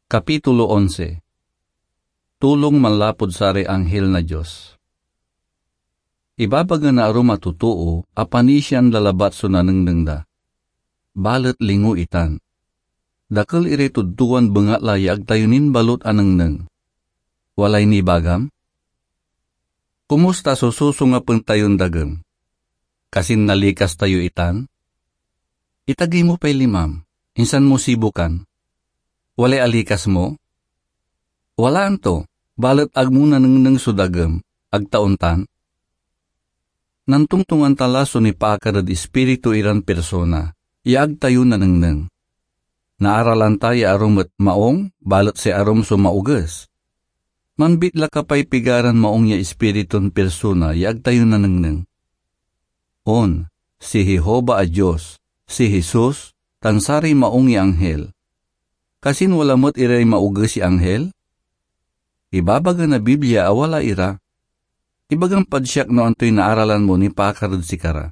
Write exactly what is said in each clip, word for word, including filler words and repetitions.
Kapitulo onse. Tulong manlapud saray anghel na Dios. Ibabaga na arum a totoo a panisian da labat so nanengneng da. Balet lingo itan. Dakel iray totooan bengatla ya ag tayo nin balot a nengneng. Walay nibagam? Kumusta so susungapen tayon dagem? Kasin nalikas tayo itan? Itagey mo pay limam, insan mo sibukan. Walay alikas mo? Walaan to, balet ag mo nanengneng so dagem, ag ta ontan? Nantongtongan ta la so nipaakar ed Ispiritu iran pirsona ya ag tayo nanengneng. Naaralan ta ya arum et maong, balet say arum so maoges. Manbitla ka pay pigaran maong ya ispiritun pirsona ya ag tayo nanengneng. On, si Jehovah a Dios, si Jesus, tan saray maong ya anghel. Kasin wala met iray maoges ya anghel? Ibabaga na Biblia a wala ira. Ibagam pad siak no antoy naaralan mo nipaakar ed sikara.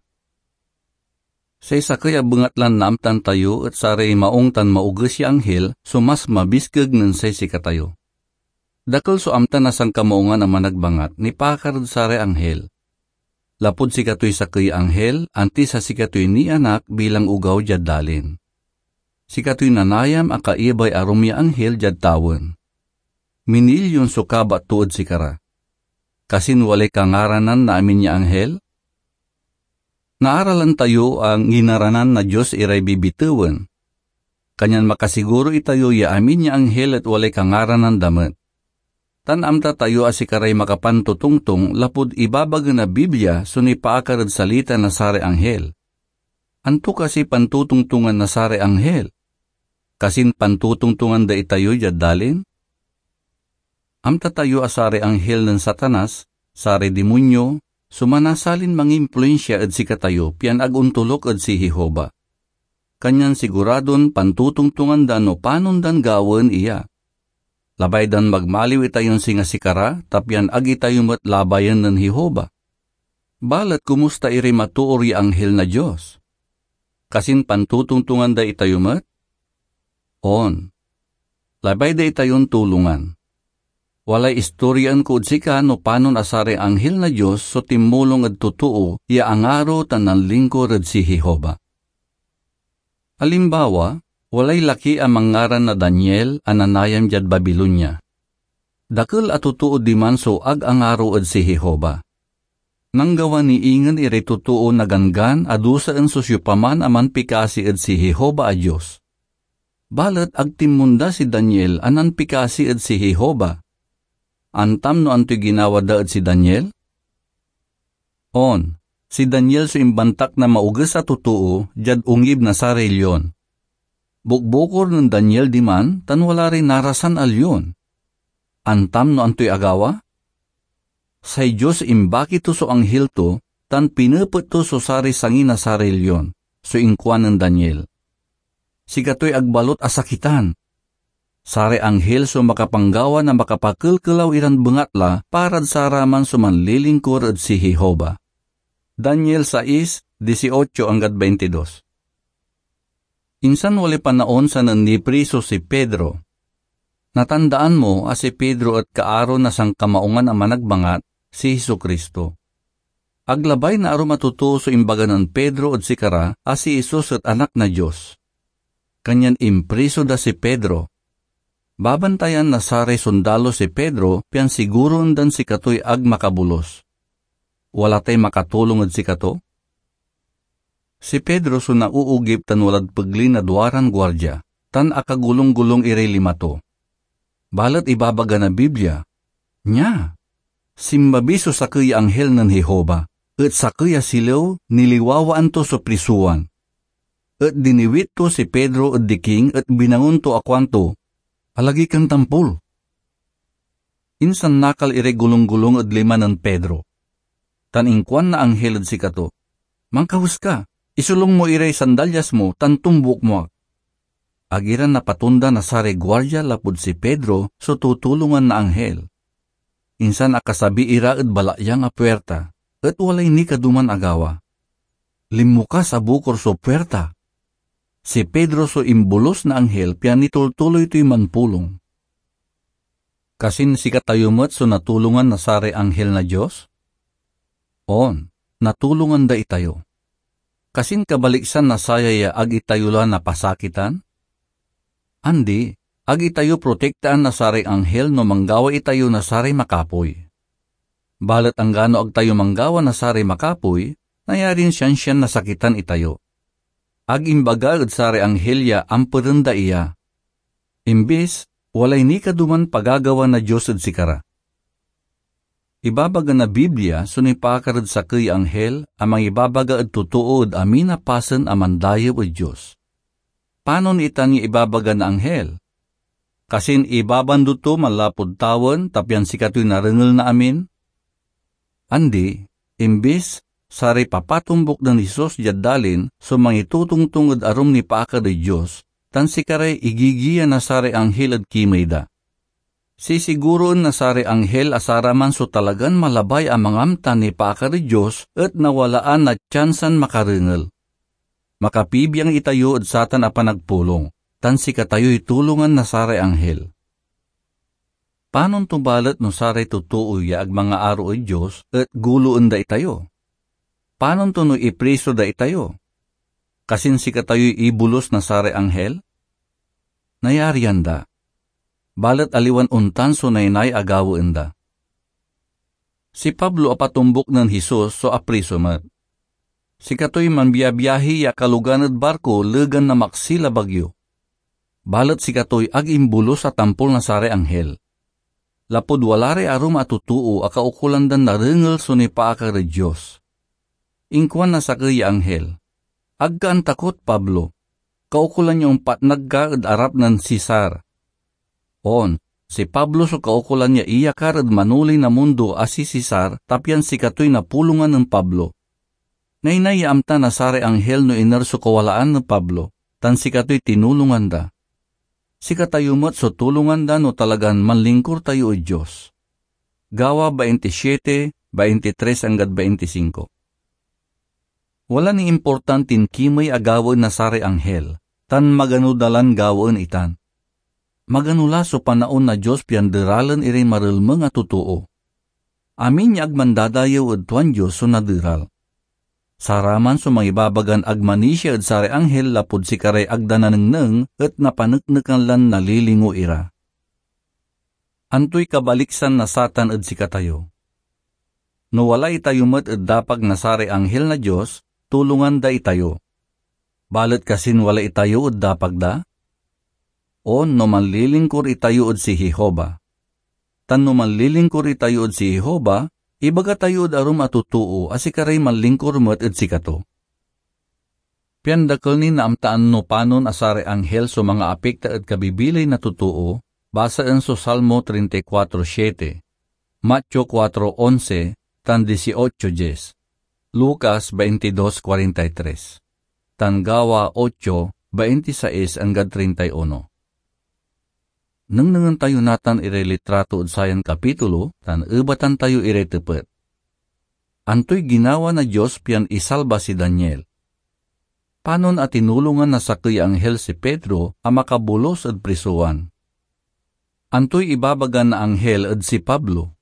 Say sakey a bengatlan naamtan tayo et saray maong tan maoges ya anghel so mas mabiskeg nen say sikatayo. Dakel so amta na sankamaungan a managbangat nipaakar ed saray anghel. Lapud sikatoy sakey ya anghel, antis a sikatoy nianak bilang ogaw diad dalin. Sikatoy nanayam a kaibay arum ya anghel diad tawen. Minilyon so kabat to ed sikara. Kasin walay kangaranan na amin ya anghel? Naaralan tayo a nginaranan na Dios iray bibitewen. Kanyan makasiguro itayo ya amin ya anghel et walay kangaranan da met. Tan amta tayo a sikaray makapantotongtong lapud ibabaga na Biblia so nipaakar ed salita na saray anghel. Anto kasiy pantotongtongan na saray anghel? Kasin pantotongtongan da itayo diad dalin? Amta tayo a saray anghel nen Satanas, saray dimonyo, so manasalin mangimpluensia ed sikatayo pian ag ontoluk ed si Jehovah. Kanyan siguradon pantotongtongan da no panon dan gawaen iya. Labay dan magmaliw itayon singa sikara, ta pian ag itayo met labayen nen Jehovah. Balet kumusta iray matoor ya anghel na Dios? Kasin pantotongtongan da itayo met? On. Labay da itayon tulongan. Walay istoryaen ko ed sika no panon a saray anghel na Dios so tinmulong ed totoo ya angaro tan nanlingkor ed si Jehovah. Alimbawa, walay laki a manngaran na Daniel a nanayam diad Babilonia. Dakel a totoo diman so ag angaro ed si Jehovah. Nanggawa ni ingen iray totoo na ganggan a dusaen so siopaman a manpikasi ed si Jehovah a Dios. Balet ag tinmonda si Daniel a nanpikasi ed si Jehovah. Antam no antoy ginawa da ed si Daniel? On, si Daniel so imbantak na maoges a totoo diad ongib na saray lion. Bukbukor nen Daniel diman tan wala ray narasan a lion. Antam no antoy agawa? Say Dios imbaki to so anghel to tan pinepet to so saray sangi na saray lion, so inkuan nen Daniel. Sikatoy ag balot a sakitan. Saray anghel so makapanggawa na makapakelkelaw iran bengatla parad saraman so manlilingkor ed si Jehovah. Daniel sais, dieciocho anggad veintidos. Insan walay panaon sanen nipriso si Pedro. Natandaan mo a si Pedro et kaaro na sankamaungan a managbangat, si Jesu-Cristo. Ag labay na arum a totoo so imbaga nen Pedro ed sikara a si Jesus et Anak na Dios. Kanyan impriso da si Pedro. Babantayan na saray sondalo si Pedro pian siguroen dan sikatoy ag makabolus. Wala tay makatulong ed sikato? Si Pedro so nauugip tan walad pegli na duaran guardia, tan akagolong-golong iray lima to. Balet ibabaga na Biblia, nia, sinmabi so sakey ya anghel nen Jehovah, et sakey a silew niliwawaan to so prisowan. Et diniwit to si Pedro ed diking et binangon to a kuanto, "Alagi kan tampol." Insan nakal iray golong-golong ed lima nen Pedro. Tan inkuan na anghel ed sikato, "Mankawes ka, isolung mo iray sandalyas mo tan tombuk mo ak." Ag ira napatonda na saray guardia lapud si Pedro so tutulongan na anghel. Insan akasabi ira ed balatyang a puirta, et walay nikaduman agawa. Linmukas a bukor so puirta. Si Pedro so imbolus na anghel pian nitultuloy toy manpulong. Kasin sikatayo met so natulongan na saray anghel na Dios? On, natulongan da itayo. Kasin kabaliksan na saya ya ag itayo la napasakitan? Andi, ag itayo protektaan na saray anghel no manggawa itayo na saray makapoy. Balet anggano ag tayo manggawa na saray makapoy, nayarin siansian nasakitan itayo. Ag imbaga ed saray anghel ya amperen da iya. Imbis, walay nikaduman pagagawa na Dios ed sikara. Ibabaga na Biblia so nipaakar ed sakey ya anghel a mangibabaga ed totoo ed amin a pasen a mandayew ed Dios. Panon itan ya ibabaga na anghel? Kasin ibabando to manlapud tawen ta pian sikatoy narengel na amin? Andi, imbis, saray papatumbok nen Jesus diad dalin so mangitotongtong ed arum nipaakar ed Dios, tan sikaray igigiya na saray anghel ed kimey da. Sisiguroen na saray anghel a saraman so talagan malabay a mangamta nipaakar ed Dios et nawalaan na tiansan makarengel. Makapibiang itayo ed satan a panagpulong, tan sikatayoy tulongan na saray anghel. Panon to balet no saray totoo ya ag mangaaro ed Dios et guloen da itayo? Panon to no ipriso da itayo? Kasin sikatayoy ibolus na saray anghel? Nayarian da. Balet aliwan ontan so naynay a gawaen da. Si Pablo a patumbok nen Jesus so apriso met. Sikatoy manbiabiahi ya kalogan ed barko legan na maksil a bagyo. Balet sikatoy ag imbolus a tampol na saray anghel, lapud wala ray arum a totoo a kaukolan dan narengel so nipaakar ed Dios. Inkuan na sakey ya anghel, "Ag ka antakot, Pablo. Kaukolan ya ompatnag ka ed arap nen Cesar." On, si Pablo so kaukolan ya iyakar ed manoley na mundo a si Cesar, ta pian sikatoy napulongan nen Pablo. Naynay ya amta na saray anghel no iner so kawalaan nen Pablo, tan sikatoy tinulongan da. Sikatayo met so tulongan da no talagan manlingkur tayo ed Dios. Gawa bainti siete, bainti tres anggad bainti singko. Wala ni importantin kimey a gawaen na saray anghel, tan magano da lan gawaen itan. Magano la so panaon na Dios pian deralen iray marelmeng a totoo. Amin ya ag mandadayew ed tuan Dios so naderal. Saraman so mangibabagan ag manisia ed saray anghel lapud sikaray ag da nanengneng et napaneknekan lan nalilingo ira. Antoy kabaliksan na satan ed sikatayo? No wala itayo met ed dapag na saray anghel na Dios, tulongan da itayo. Balet kasin wala itayo ed dapag da? O no manlilingkur itayo ed si Jehovah. Tan no manlilingkur itayo ed si Jehovah, ibaga tayo ed arum a totoo a sikaray manlingkur met ed sikato. Pian dakel nin naamtaan no panon a saray anghel so mangaapekta ed kabibilay na totoo, basaen so Salmo treinta y cuatro siete, Mateo cuatro once, tan dieciocho diez, Lucas veintidós cuarenta y tres, tan Gawa ocho, veintiseis anggad treinta y uno. Nengnengen tayo natan iray litrato ed sayan kapitulo tan ebatan tayo iray tepet. Antoy ginawa na Dios pian isalba si Daniel? Panon a tinulongan na sakey ya anghel si Pedro a makabolus ed prisowan? Antoy ibabaga na anghel ed si Pablo?